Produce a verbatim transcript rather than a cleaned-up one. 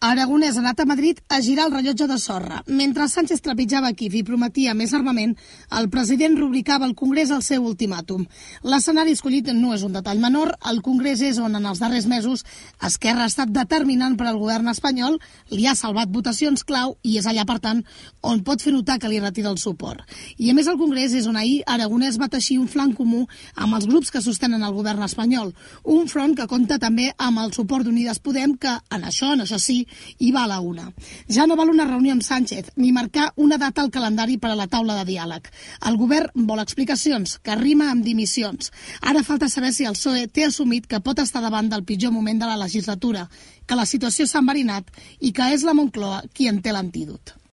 Aragonès ha anat a Madrid a girar el rellotge de sorra. Mentre Sánchez trepitjava Kíev i prometia més armament, el president rubricava al Congrés el seu ultimàtum. L'escenari escollit no és un detall menor. El Congrés és on en els darrers mesos Esquerra ha estat determinant per al govern espanyol, li ha salvat votacions clau i és allà, per tant, on pot fer notar que li retira el suport. I a més el Congrés és on ahir Aragonès va teixir un flanc comú amb els grups que sostenen el govern espanyol. Un front que compta també amb el suport d'Unides Podem, que en això, en això sí, i va a la una. Ja no val una reunió amb Sánchez ni marcar una data al calendari per a la taula de diàleg. El govern vol explicacions, que rima amb dimissions. Ara falta saber si el P S O E té assumit que pot estar davant del pitjor moment de la legislatura, que la situació s'ha enverinat i que és la Moncloa qui en té l'antídot.